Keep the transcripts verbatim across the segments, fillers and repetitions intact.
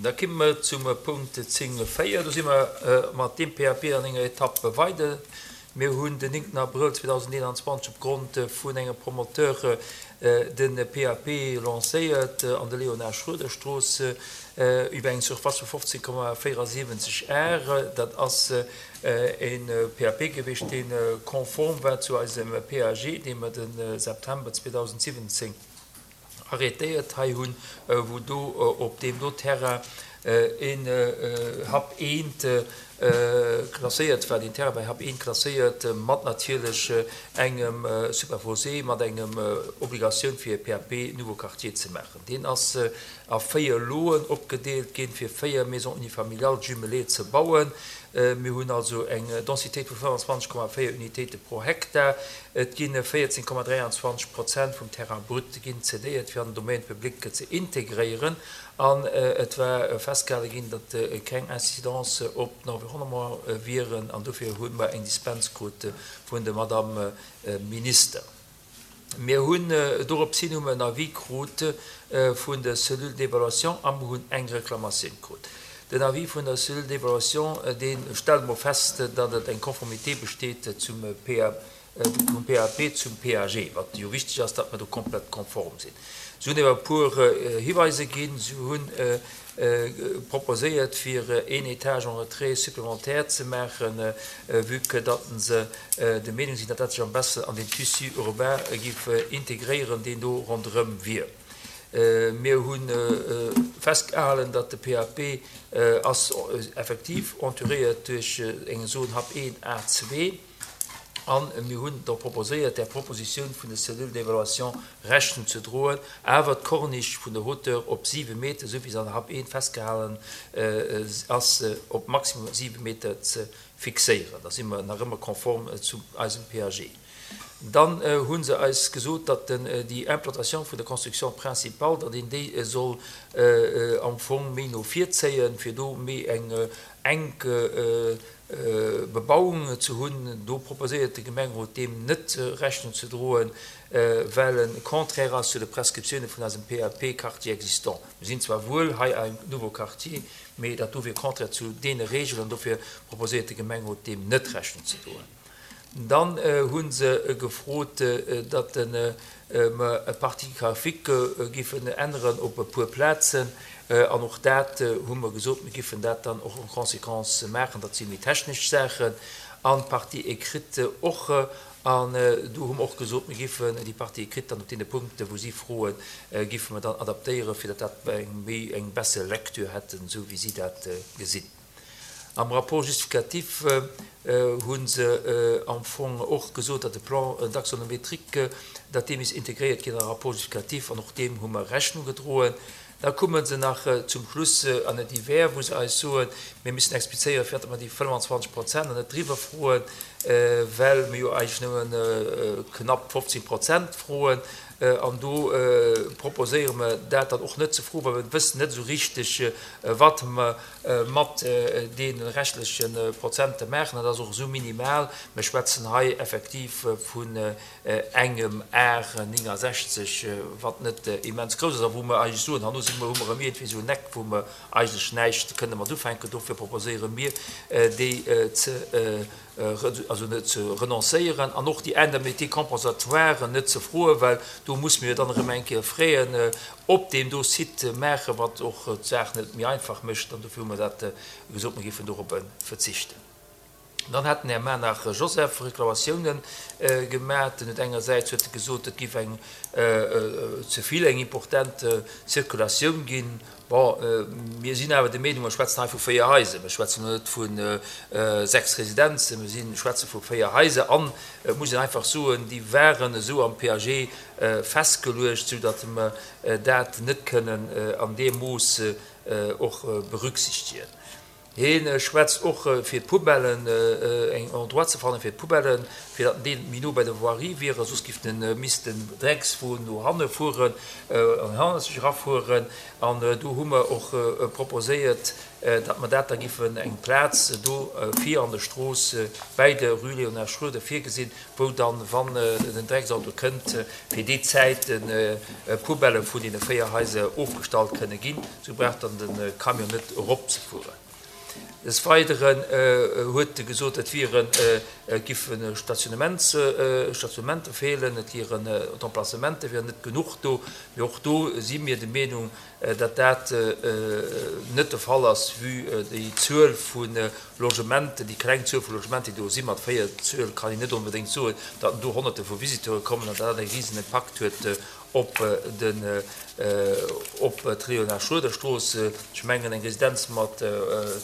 Da komme mer zum Punkt zéng véier. Do si mer mat deem P A P an enger Etapp weider. Mir hunn den néngten Abrëll zweedausendeenanzwanzeg opgrond vun engem Promoteur de P A P lancéiert an der Léonard-Schroeder-Strooss iwwer eng Surface vu fofzéng Komma véierasiwwenzeg Ar. Dat ass e P A P gewiescht, dee konform war zu eisem P A G, dee mer de September zweedausendsiwwenzéng arrêtéiert hei hunn, wou do op deem do Terrain een H A P eent klasséiert war, deen Terrain bei H A P eent klasséiert, mat natierlech engem Superposé, mat engem Obligatioun fir e P A P Nouveau Quartier ze maachen. Deen ass a véier Loen opgedeelt ginn, fir véier Maisons unifamiliales jumelées ze bauen. Mir hunn also eng Densitéit vu fënnfanzwanzeg Komma véier Unitéite pro Hektar. Et gi véierzéng Komma dräianzwanzeg Prozent vum Terrain brut ginn cédéiert, fir an den Domaine public ze integréieren. An et war festgehale ginn, datt keng Incidence op den Environnement wieren, an dofir hu mer eng Dispens krut vun der Madame Minister. Mir hunn dorops hin hu mer en Avis krut vun der Cellule d'évaluation a mer hunn eng Reklamatioun krut. Den Avis vun der Cellule d'évaluation, dee stellt mol fest, datt et eng Conformité besteet zum P A, vum P A P zum P A G, wat jo wichteg ass, datt mer do komplett konform sinn. Si hunn awer e puer Hiweiser ginn. Si hunn proposéiert, fir een Étage en retrait supplémentaire ze maachen, vue que datt se der Meenung sinn, datt dat sech am beschten an den Tissu urbain géif integréieren, deen do ronderëm wier. Mir hu festgehalen, datt de P A P ass effektiv entouréiert duerch eng Zone H A P eent A zwee, an mir hunn da proposéiert, der Propositioun vun der Cellule d'évaluation Rechnung ze droen, awer d'Corniche vun der Hauteur op siwe Meter, esou wéi se an der H A P eent festgehalen ass, op maximum siwe Meter ze fixéieren. Da si mer nach ëmmer konform zu eisem P A G. Dann hu se eis gesot, datt déi Implantation vun der Construction principale, datt een déi soll am Fong méi no vir zéien, fir do méi eng enk Bebauung ze hunn. Do proposéiert de Gemengerot, deem net Rechnung ze droen, well e contraire ass zu de Prescriptioune vun eisem P A P Quartier existant. Mir sinn zwar wuel hei am Nouveau Quartier, mee dat do wier contraire zu deene Reegelen, dofir proposéiert de Gemengerot, deem net Rechnung ze droen. Dann hu se gefrot, datt mer e Partie graphique giffen änneren op e puer Plazen, an och dat hu mer gesot, mir giffen dat dann och en conséquence maachen. Dat si méi technesch Saachen. An d'Partie écrite och, an do hu mer och gesot, mir giffen déi Partie écrite dann op deene Punkte wou si froen, giffe mer dann adaptéieren, fir datt dat eng méi eng besser Lecture hätten, esou wéi si dat gesinn. Am Rapport justificatif hu se am Fong och gesot, datt de Plan d'axonométrique, datt dee misst integréiert ginn am Rapport justificatif, an och deem hu mer Rechnung gedroen. Da komme se nach zum Schluss an e Divers, wou se eis soen, mir müssen explizéieren, firwat mer déi fënnfanzwanzeg Prozent an net driwwer froen, well mir jo eigentlech nëmme knapp fofzéng Prozent froen. An do proposéiere mer dat dann och net ze froen, well mir wëssen net esou richteg, wat mer mat deene reschtleche Prozente maachen. Dat ass och esou minimal. Mir schwätzen hei effektiv vun engem Ar néngasechzeg, wat net immens grouss ass a wou mer eigentlech soen, herno si mer, hu mer erëm iergendwéi esou en Eck, wou mer eigentlech näischt kënne mat ufänken. Dofir proposéiere mir, déi ze, also net ze renoncéieren an och déi Indemnité compensatoire net ze froen, well do muss mir dann erëm eng Kéier Fräen op deem do Site maachen, wat och d'Saach net méi einfach mécht, an dofir hu mer dat gesot, mir géifen dorop verzichten. Dann hat den Här Manach Joseph Reklamatiounen gemaach. En huet engersäits huet e gesot, et géif eng ze vill eng important Circulatioun ginn. Bon, mir sinn awer der Meenung, mer schwätzen hei vu véier Haiser, mir schwätzen net vu sechs Residenzen, mir sinn, schwätze vu véier Haiser an et muss een einfach soen, déi waren esou am P A G festgeluecht, soudatt mer dat net kënnen an deem Mooss och berücksichtigen. Hie schwätzt och fir d'Poubellen, eng Endroit ze fannen fir d'Poubellen, fir datt déi méi no bei der Voirie wieren, soss giff den misst den Dreckswon no hanne fueren an hannerzeg erafueren. An do hu mer och proposéiert, datt mer dat da giffen eng Plaz do vir an der Strooss bäi der Rue Léonard Schroeder virgesinn, wou dann, wann den Drecksauto kënnt, fir déi Zäit d'Poubelle vun deene véier Haiser ofgestallt kënne ginn. Sou brauch dann de Camion net eropzefueren. Des Weideren huet e gesot, et wieren, et giffe Stationnements, Stationnementer feelen, et wieren, d'Emplacementer wieren net genuch do. Mee och do si mir der Meenung, datt dat net de Fall ass, vue déi Zuel vu Logementen, déi kleng Zuel vu Logementen, déi do sinn. Mat véier Zuel kann een net onbedéngt soen, datt do Honnerte vu Visiteure kommen an dat dat e risen Impakt huet op den op d'Léonard-Schroeder-Strooss. Ech mengen, eng Residenz mat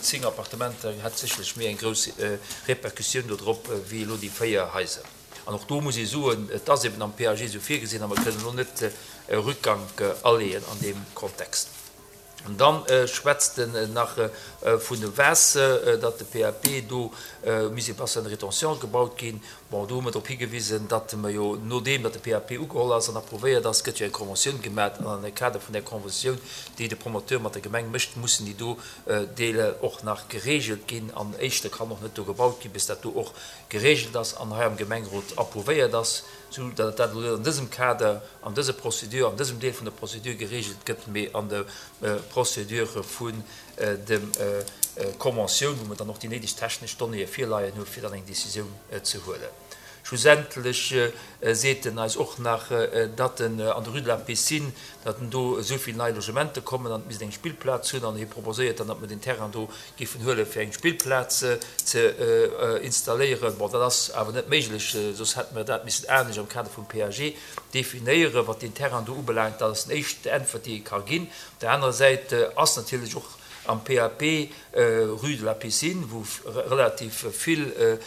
zéng Appartementer hätt sécherlech méi eng grouss Repercussioun do drop wéi elo déi véier Haiser. An och do muss ee soen, et ass eben am P A G esou virgesinn a mer kënnen elo net e Rückgank aleeën an deem Kontext. An dann schwätzt en nach vun dem Waasser, datt de P A P do misst e Bassin de rétention gebaut ginn. Bon, do hu mer drop higewisen, datt mer jo, nodeem datt de P A P ugeholl ass an approuvéiert ass, gëtt jo eng Conventioun gemaach. An am Kader vun där Conventioun, déi de Promoteur mat der Gemeng mécht, mussen déi do Deeler och nach geregelt ginn. An éischter kann och net do gebaut ginn, bis dat do och geregelt ass an hei am Gemengerot approuvéiert ass, sou datt dat elo net an dësem Kader, an dëser Procédure, an dësem Deel vun der Procédure geregelt gëtt, mee an der Procédure vun dem Conventioun, wou mer dann och déi néideg technesch Donnéeë virleien hu fir dann eng Décisioun ze huelen. Schlussendlech seet en eis och nach, datt en an der Rue de la Piscine, datt en do esou vill nei Logementer kommen an et misst eng Spillplaz hunn, an hie proposéiert dann, datt mer den Terrain do giffen huelen, fir eng Spillplaz ze installéieren. Bon, dat ass awer net méiglech, soss hätte mer dat missen anescht am Kader vum P A G definéieren, wat den Terrain do ubelaangt. Dat ass déi éischt Äntwert, déi ee ka ginn. Op der anerer Säit ass natierlech och am P A P Rue de la Piscine, wou relativ vill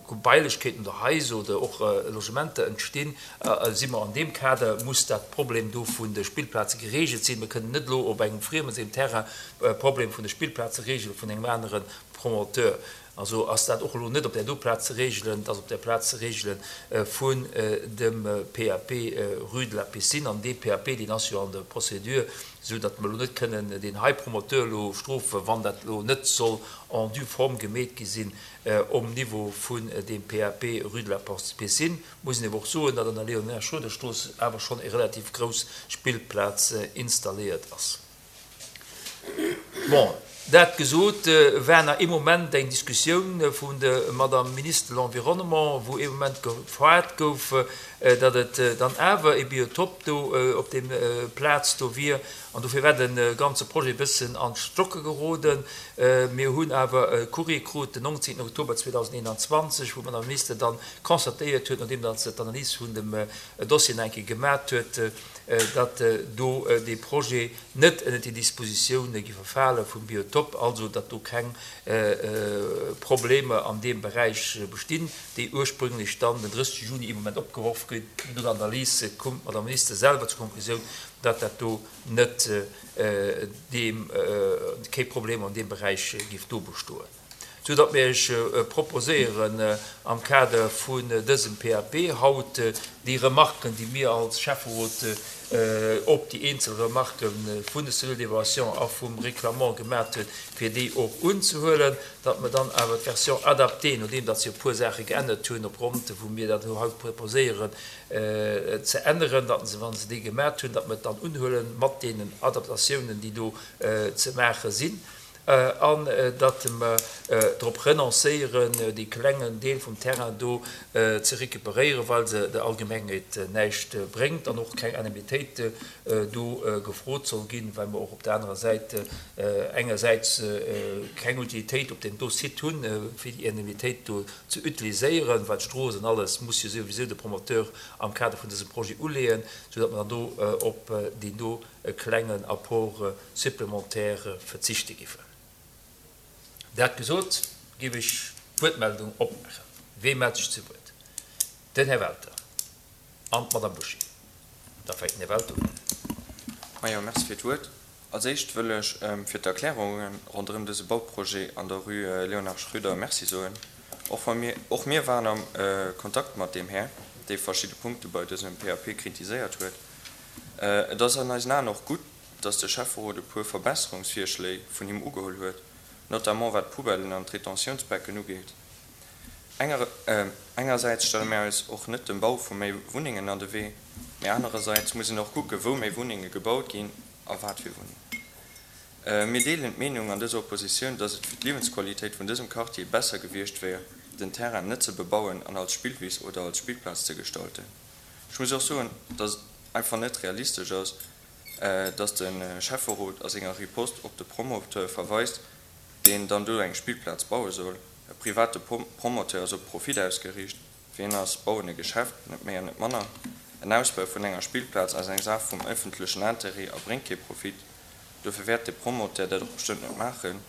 Gebailechkeeten oder Haiser oder och Logementer entstinn, si mer an deem Kader, muss dat Problem do vun de Spillplaze geregelt sinn. Mir kënnen net elo op engem friemen Terrain Problem vun de Spillplaze regelen vun engem anere Promoteur. Also ass dat och elo net op der do Plaz ze regelen, dat ass op der Plaz ze regelen vun dem P A P Rue de la Piscine. An dee P A P, deen ass jo an der Procédure, sou datt mer elo net kënnen den hei Promoteur elo strofen, wann dat elo net soll en due forme gemeet gi sinn um Niveau vun dem P A P Rue de la Piscine. Muss een awer och soen, datt an der Léonard-Schroeder-Strooss awer schonn eng relativ grouss Spillplaz installéiert ass. Bon, dat gesot, war nach ee Moment eng Diskussioun vun der Madame Ministre de l'Environnement, wou ee Moment gefragt gouf, datt et dann awer e Biotop do op dem Plaz do wier. An dofir war de ganze Projet e bëssen an d'Stocke geroden. Mir hunn awer e Courrier krut den neunzehnten Oktober zweitausendeinundzwanzig, wou d'Madame Ministre dann constatéiert huet, nodeem datt se d'Analyse vun dem Dossier nach eng Kéier gemaat huet, datt do de Projet net ënner déi Dispositioune gi verfale vum Biotop, also datt do keng Probleme an deem Beräich bestinn, déi ursprünglech dann den drëssigsten Juni im Moment opgeworf ginn. No der Analyse kommt d'Madame Ministre selwer zur Konklusioun, datt dat do net deem kee Problem an deem Beräich giff do bestoen. So datt mir iech proposéieren am Kader vun dësem P A P haut déi Remarken, déi mir als Schäfferot op déi eenzel Remarken vun der Cellule d'évaluation a vum Reklamant gemaat huet, fir déi och unzehuelen, datt mir dann awer d'Version adaptée, nodeem datt se e puer Sache geännert hunn, op Grond, wou mir dat haut proposéieren, ze änneren, datt se, wann se déi gemaat hunn, datt mir dann unhuelen mat deenen Adaptatiounen, déi do ze maache sinn, an datt mer drop renoncéieren, dee klengen Deel vum Terrain do ze recuperéieren, well se der Allgemengheet näischt bréngt an och keng Indemnitéit do gefrot soll ginn, well mer och op der anerer Säit engersäits keng Utilitéit op dem do Site hunn, fir déi Indemnitéit do ze utiliséieren, well d'Strooss an alles muss jo sowieso de Promoteur am Kader vun dësem Projet uleeën, sodatt mer dann do op deen do klengen Apport supplémentaire verzichte giffen. Dat gesot, gebe ich Wuertmeldung opmachen. Wem meldet sich zu Wort? Den Herr Welter an Madame Boucher. Da fängt den Herr Welter un. Ah ja, merci fir d'Wuert. Als éischt wëll ech fir d'Erklärungen ronderëm dëse Bauprojet an der Rue Léonard Schröder Merci soen. Och, mir, och mir waren am äh, Kontakt mat deem Här, dee verschidde Punkte bei dësem P A P kritiséiert huet. Äh, et ass an eisen Aen och gutt, dass de Schäfferot e puer Verbesserungsvirschléi vun him ugeholl huet, notamment wat Poubellen an d'Retentiounsbecken ugeet. Enger, äh, engersäits stelle mir eis och net dem Bau vu méi Wunnengen an de Wee, mee anerersäits muss een och kucke wou méi Wunnenge gebaut ginn a wat fir Wunnengen. Äh, mir deelen d'Meenung an dëser Oppositioun, dass et fir d'Liewensqualitéit vun dësem Quartier besser gewiescht wier, den Terrain net ze bebauen an als Spillwiss oder als Spillplaz ze gestalten. Ech muss och soen, dass et einfach net realistesch ass, äh, dass de Schäfferot a senger Riposte op de Promoteur verweist, deen dann do eng Spillplaz baue soll. E private Promoteur ass op Profit ausgeriicht, fir hien ass Bauen e Geschäft, net méi an net manner. En Ausbau vun enger Spillplaz ass eng Saach vum ëffentlechen Interêt a bréngt kee Profit. Dofir wäert de Promoteur dat och bestëmmt net maachen.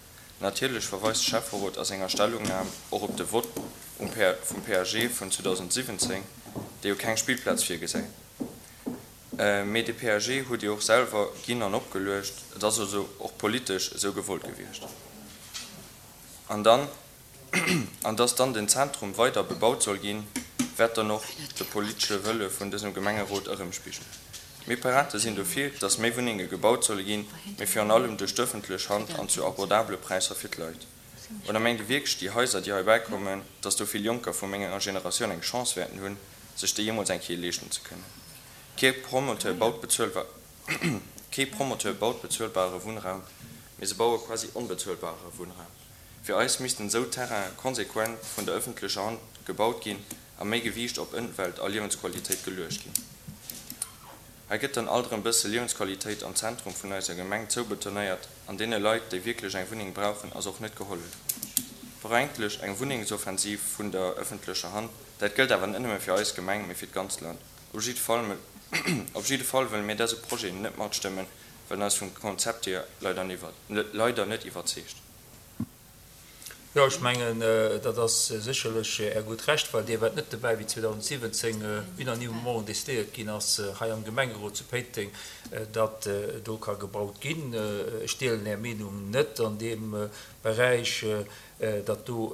Natierlech verweist de Schäfferot a senger Stellungnam och op de Vott vum P A G vun zweedausendsiwwenzéng, dee jo keng Spillplaz virgesäit. Äh, mee de P A G hutt dir och selwer ginn an opgeluecht, et ass also och politesch esou gewollt gewiescht. An dann an dass dann den Zentrum weider bebaut soll ginn, wäert dann och de politesche Wëlle vun dësem Gemengerot erëmspigelen. Mir Pirate sinn dofir, dass méi Wunnenge gebaut solle ginn, mee virun allem duerch d'ëffentlech Hand an zu abordabele Präisser fir d'Leit. Oder mengt dir wierklech déi Haiser, déi hei bäikommen, dass do vill Jonker vu menger Generatioun eng Chance wäerten hunn, sech déi jeemools eng Kéier leeschten ze kënnen. Kee Promoteur baut bezuelbar Kee Promoteur baut bezuelbare Wunnraum, mee se baue quasi onbezuelbare Wunnraum. Fir eis missten esou Terraine konsequent vun der ëffentlecher Hand gebaut ginn a méi Gewiicht op Ëmwelt a Liewensqualitéit geluecht ginn. Hei gëtt dann alt erëm bësse Liewensqualitéit am Zentrum vun eiser Gemeng zoubetonéiert an deene Leit, déi wierklech eng Wunneng brauchen, ass och net gehollef. Brauch eigentlech eng Wunnengsoffensiv vun der ëffentlecher Hand, dat gëllt awer net nëmme fir eis Gemeng, mee fir d'ganzt Land. Op jidde Fall, op jidde Fall wëlle mir dëse Projet net matstëmmen, well en eis vum Konzept hier leider, leider net iwwerzeegt. Jo, ech mengen, dat ass sécherlech Är gutt Recht, well Dir waart net dobäi, wéi zweedausendsiwwenzéng unanimement decidéiert ginn ass hei am Gemengerot zu Péiteng, datt do ka gebaut ginn. Ech deelen Är Meenung net an deem Beräich, datt do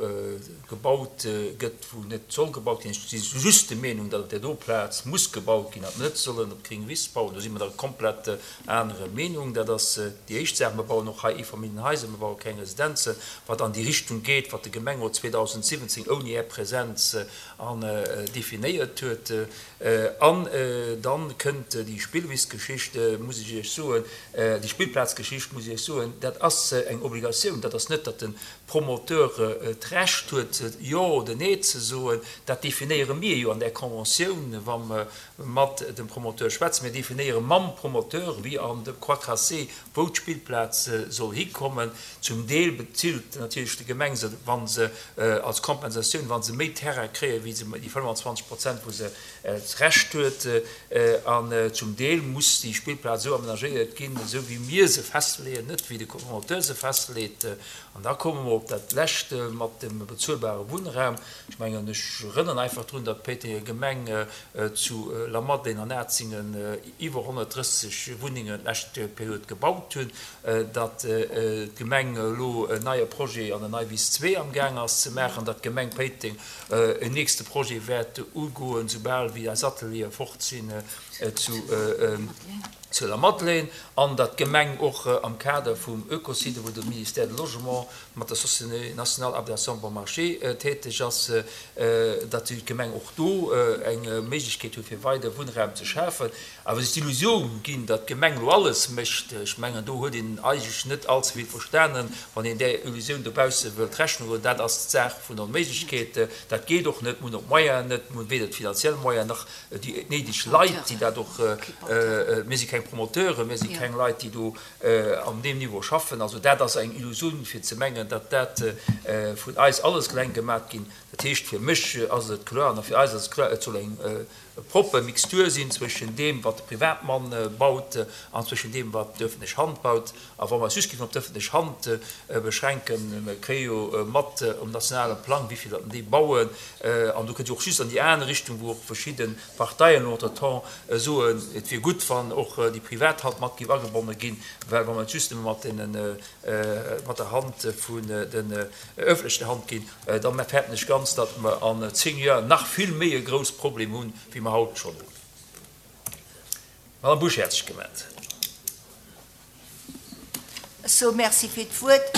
gebaut gëtt, wou net soll gebaut ginn. Ech si just der Meenung, datt op där do Plaz muss gebaut ginn, datt mer net sollen op d'gréng Wiss bauen. Do si mer der komplett anerer Meenung. Dat ass déi éischt Saach. Mir bauen och hei Eefamilljenhaiser, mir baue keng Residenzen, wat an déi Richtung geet, wat de Gemengerot zweedausendsiwwenzéng ouni Är Presenz an definéiert huet. An dann kënnt déi Spillwissgeschicht, muss ech Iech soen, déi Spillplazgeschicht, muss ech Iech soen, dat ass eng Obligatioun. Dat ass net, datt de Promoteur d'Recht huet, jo oder nee ze soen. Dat definéiere mir jo an der Conventioun, wa mer mat dem Promoteur schwätzen. Mir definéiere mam Promoteur, wéi an dem Croix-Tracé, wou d'Spillplaz soll hikommen. Zum Deel bezilt natierlech d'Gemeng se, wa se als Kompensatioun, wa se méi Terrain kréien, wéi se déi fënnfanzwanzeg Prozent, wou se d'Recht huet. An zum Deel muss déi Spillplaz esou amenagéiert ginn, esou wéi mir se festleeën, net wéi de Promoteur se festleet. An da komme mer op dat Lescht mat dem bezuelbare Wunnraum. Ech mengen, ech erënneren einfach drun, datt d'Péitenger Gemeng zu Lamadelaine an Atzingen iwwer honnertdrësseg Wunnengen d'lescht Period gebaut hunn, datt d'Gemeng elo en neie Projet an der Neiwiss zwee am Gaang ass ze maachen, datt d'Gemeng Péiteng en nächste Projet wäert ugoen, soubal wéi eis Ateliere fort sinn zu zu Lamadelaine, an datt d'Gemeng och am Kader vum Ökosite, wou de Ministère de Logement mat der Société nationale Habitation Bon Marché täteg ass, datt d'Gemeng och do eng Méiglechkeet huet, fir weider Wunnraum ze schafen. Awer sech d'Illusioun ginn, datt d'Gemeng elo alles mécht, ech mengen, do huet een eigentlech net all ze vill verstanen, wann een där Illusioun dobausse wëllt Rechnung droen. Dat ass d'Saach vun Onméiglechkeet. Dat geet och net. Mir hunn och d'Moyenen net, mir hunn weder d'finanziell Moyenen nach déi néideg Leit, déi dat och, mir si keng Promoteuren, mir si keng Leit, déi do an deem Niveau schaffen. Also dat ass eng Illusioun, fir ze mengen, datt dat vun eis alles eleng gemaach ginn. Dat heescht, fir mech ass et kloer an fir eis ass et kloer, et soll eng propper Mixtur sinn zwëschen deem, wat de Privatmann baut, an zwëschen deem, wat d'öffentlech Hand baut. A wa mer eis just géifen op d'öffentlech Hand beschränken, mer kréie jo mat um nationale Plang, wéi vill datt déi bauen, an do kënnt jo och just an déi aner Richtung, wou och verschidde Parteien entretemps soen, et wier gutt, wann och déi privat Hand mat géif agebonne ginn, well wa mer et just nëmme mat deenen, mat der Hand vun den öffentlechen Hand ginn, da fäerten ech ganz, datt mer an zéng Joer nach vill méi e grouss Problem hunn, wéi mer haut schonn hunn. D'Madame Busch hat sech gemellt. Ech soe Merci fir d'Wuert.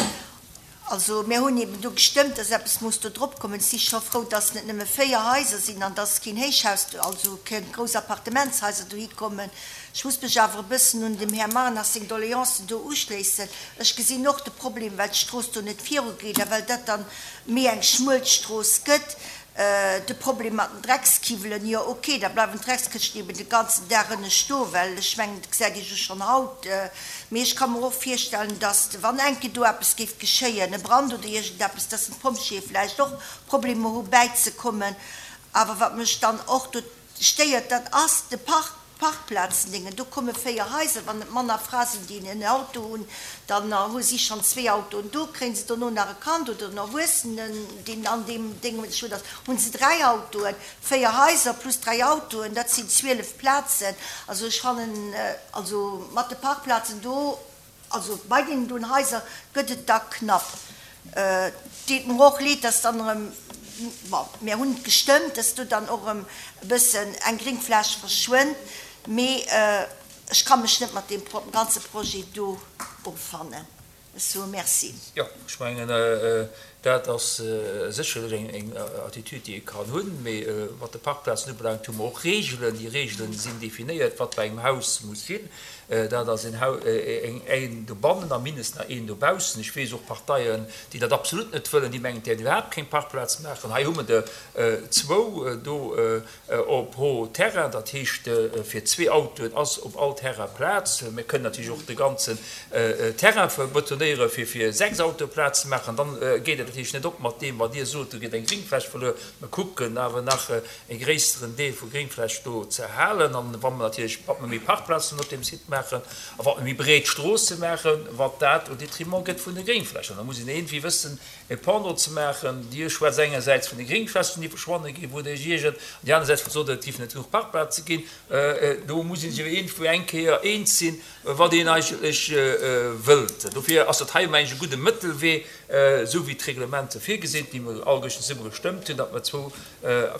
Also, mir hunn eben do gestëmmt, dass eppes muss do drop kommen. Ech si scho frou, dass net nëmme véier Haiser sinn an dass keen Héichhaus, also keng grouss Appartementshaiser dohi kommen. Ech muss mech awer e bëssen un dem Här Marnach seng Doleancen do uschléissen. Ech gesinn och de Problem, well d'Strooss do net virugeet a well dat dann méi eng schmuel Strooss gëtt. De Problem mat den Dreckskiwwelen, jo ok, da bleiwen d'Dreckskëschten eben de ganzen Dag ënne stoen, well ech mengen, dat gesäit Dir jo schonn haut. Mee ech ka mer och virstellen, datt, wann eng Kéier do eppes géif geschéien, e Brand oder iergendeppes, datt den d'Pompjeeë vläicht och Problemer hu bäizekommen. Awer wat mech dann och do stéiert, dat ass de Park. Parkplazendéngen, do komme véier Haiser, wann et manner Fra sinn, déi en Auto hunn, dann hu si schonn zwee Autoen do, kréien se dono nach e Kand oder en Erwuessenen, deen an deem Déng scho ass, hu se dräi Autoen. Véier Haiser plus dräi Autoen, dat sinn zwielef Plazen. Also ech fannen, also mat de Parkplazen do, also bei deenen doen Haiser gëtt et da knapp. Et deet mer och leed, dass dann erëm, bon, mir hunn et gestëmmt, dass do dann och erëm e bëssen eng Gringfläch verschwënnt, mee ech ka mech net mat deem ganze Projet do offannen. Ech soe Merci. Jo, ech mengen, dat ass sécherlech eng Attitüd, déi ee kann hunn. Mee wat de Parkplazen ubelaangt, hu mer och Reegelen. Déi Reegelen sinn definéiert, wat bei engem Haus muss sinn. Dat ass een Haus, een dobannen a mindestens nach een dobaussen. Ech weess och Parteien, déi dat absolut net wëllen, déi mengen, et däerf iwwerhaapt keng Parkplaz maachen. Hei hu mer der zwou do pro Terrain. Dat heescht, fir zwee Autoen ass op all Terrain Plaz. Mir kënnen natierlech och de ganzen Terrain betonéieren, fir fir sechs Autoe Plaz ze maachen. Dann geet et natierlech net op mat deem, wat Dir sot, do gëtt eng Gringfläch verluer. Mer kucken awer nach e gréisseren Deel vu Gringfläch do ze halen. An wa mer natierlech, wat mer méi Parkplazen op deem Site maachen a wat mer méi breet Stroosse maachen, wat dat au détriment gëtt vun de Gringflächen. Da muss een iergendwéi wëssen, e Pendant ze maachen. Dir schwätzt engersäits vun de Gringflächen, déi verschwanne ginn, wou Der Iech iergert, an déi anersäits vun sot, et géifen net genuch Parkplaze ginn. Do muss ee sech awer iergendwou eng Kéier eens sinn, wat een eigentlech wëllt. Dofir ass dat hei, mengen ech, e gudde Mëttelwee, esou wéi d'Reglementer virgesinn, déi mer alleguerten zesumme gestëmmt hunn, datt mer zwou,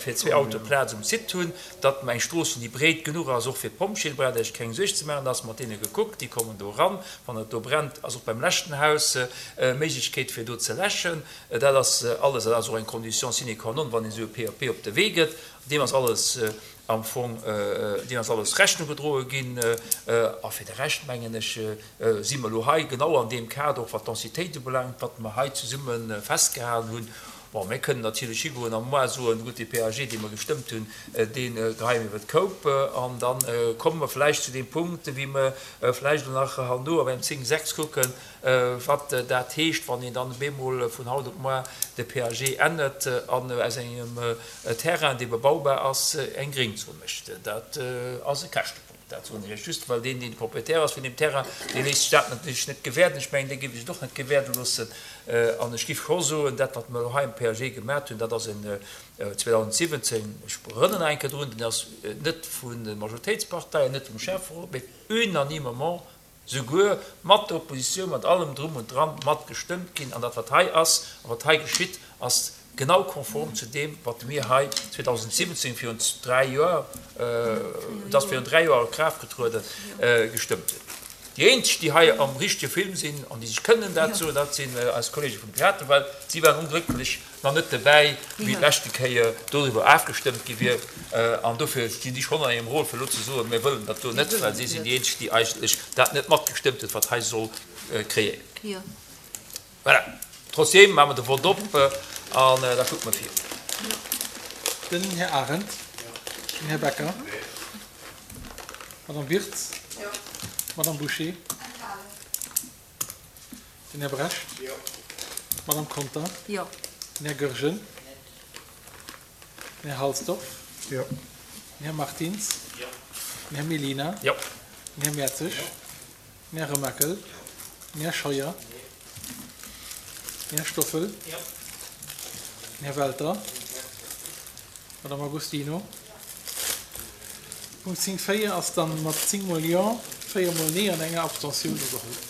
fir zwee Autoe Plaz um Site hunn, datt mer eng Strooss hunn, déi breet genuch ass, och fir d'Pompjeeën, do braucht Der Iech keng Suerg ze maachen, da ass mat deene gekuckt, déi kommen do eran. Wann et do brennt, ass och beim leschten Haus Méiglechkeet, fir do ze läschen. Dat ass alles, dat ass och eng Condition sine qua non, wann een esou e P A P op de Wee gëtt. Deem ass alles am Fong, deem ass alles Rechnung gedroe ginn. A fir de Rescht, mengen ech, si mer elo hei genau an deem Kader, och wat d'Densitéit ubelaangt, wat mer hei zesumme festgehalen hunn. Bon, mir kënnen natierlech higoen a moar soen, gutt, dee P A G, dee mer gestëmmt hunn, dee geheie mir iwwer d'Koup. An da komme mer vläicht zu deem Punkt, wéi mer vläicht elo nach herno op engem zéng sechs kucken, wat dat heescht, wann een dann op eemol vun haut op moar de P A G ännert an aus engem Terrain, dee bebaubar ass, eng Gréngzon mécht. Dat ass e Käschtepunkt. Dat soen ech Iech just, well deen, deen de Proprietär ass vun deem Terrain, dee léisst sech dat natierlech net gewäerden. Ech mengen, dee géif sech et och net gewäerde loossen. An ech géif scho soen, dat, wat mer elo hei am P A G gemat hunn, dat ass en zweedausendsiwwenzéng, ech erënneren nach eng Kéier drun, deen ass net vun de Majoritéitsparteien, net vum Schäfferot, mee unanimement, souguer mat der Oppositioun, mat allem Drum und Dran mat gestëmmt ginn. An dat, wat hei ass a wat hei geschitt, ass genau konform zu deem, wat mir hei zweedausendsiwwenzéng, virun dräi Joer, et ass virun dräi Joer a Kraaft getrueden, gestëmmt hunn. Déi eenzeg, déi hei am richtege Film sinn an déi sech kënnen dat soen, dat sinn eis Kollege vum Piraten, well si waren onglécklech nach net dobäi, wéi d'leschte Kéier doriwwer afgestëmmt gi wier. An dofir stinn déi schonn an hirem Rôle, fir elo ze soen, mir wëllen dat do net, well si sinn déi eenzeg, déi eigentlech dat net matgestëmmt hunn, wat hei soll kreéiert ginn. Voilà. Trotzdem maache mer de Vott op an da kucke mer vir. Den Här Arendt. Den Här Becker. D'Madame Wirtz. D'Madame Bouché. Den Här Brecht. D'Madame Conter. Den Här Goergen. Den Här Halsdorf. Den Här Martins. Den Här Mellina. Den Här Mertzig. Den Här Remakel. Den Här Scheuer. Den Här Stoffel. Den Här Welter. D'Madame Agostino. Punkt zéng véier ass dann mat zéng mol Jo, véier mol Nee an enger Abstentioun ugeholl.